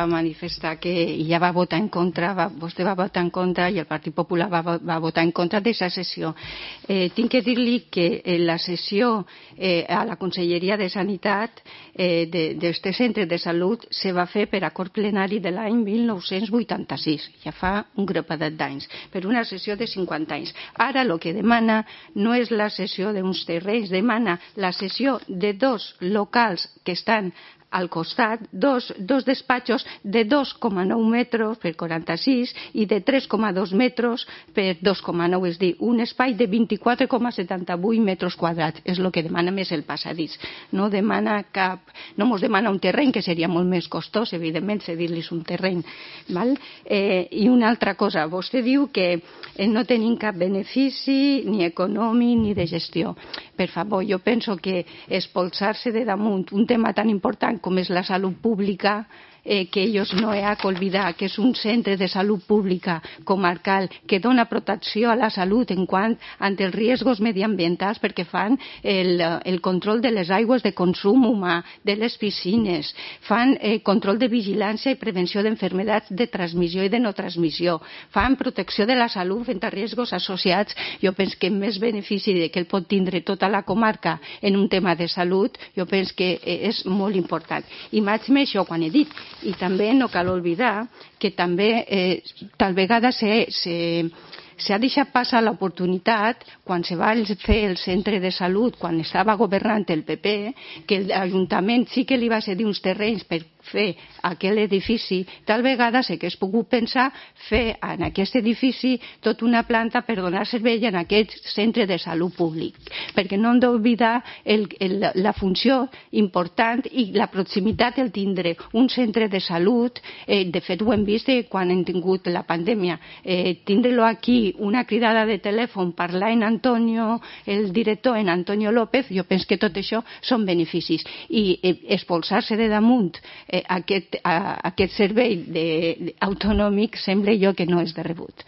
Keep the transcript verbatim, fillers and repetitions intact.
va manifestar que ja va votar en contra, va, vostè va votar en contra i el Partit Popular va, va votar en contra d'aquesta sessió. Eh, tinc que dir-li que eh, la sessió eh, a la Conselleria de Sanitat eh, d'aquest centre de salut se va fer per acord plenari de l'any mil nou-cents vuitanta-sis, ja fa un grapadet d'anys, per una sessió de cinquanta anys. Ara el que demana no és la cessió d'uns terrenys, demana la cessió de dos locals que estan al costat, dos, dos despatxos de dos coma nou metres per quaranta-sis i de tres coma dos metres per dos coma nou, és a dir, un espai de vint-i-quatre coma setanta-vuit metres quadrats. És el que demana més el passadís. No demana cap, no mos demana un terreny, que seria molt més costós, evidentment, cedir-los un terreny. Val? Eh, I una altra cosa, vostè diu que eh, no tenim cap benefici ni econòmic ni de gestió. Per favor, jo penso que expulsar-se de damunt un tema tan important com és la salut pública, eh, que ells no hi ha que oblidar que és un centre de salut pública comarcal que dona protecció a la salut en quant ante els riscos mediambientals, perquè fan el, el control de les aigües de consum humà, de les piscines, fan eh, control de vigilància i prevenció d'enfermedats de transmissió i de no transmissió, fan protecció de la salut front a riscos associats. Jo penso que més benefici que el pot tindre tota la comarca en un tema de salut, jo penso que és molt important. I m'haig més això quan he dit. I també no cal oblidar que també eh, tal vegada se, se, s'ha deixat passar l'oportunitat quan se va fer el centre de salut, quan estava governant el P P, que l'Ajuntament sí que li va cedir uns terrenys per fer aquell edifici. Tal vegada sí que es pogut pensar fer en aquest edifici tota una planta per donar servei en aquest centre de salut públic, perquè no hem d'oblidar el, el, la funció important i la proximitat el tindre un centre de salut. Eh, de fet ho hem vist eh, quan hem tingut la pandèmia, eh, tindre-lo aquí, una cridada de telèfon, parlar en Antonio, el director en Antonio López, jo penso que tot això són beneficis. I eh, expulsar-se de damunt eh, aquest, a, aquest servei de, de, autonòmic sembla jo que no és de rebut.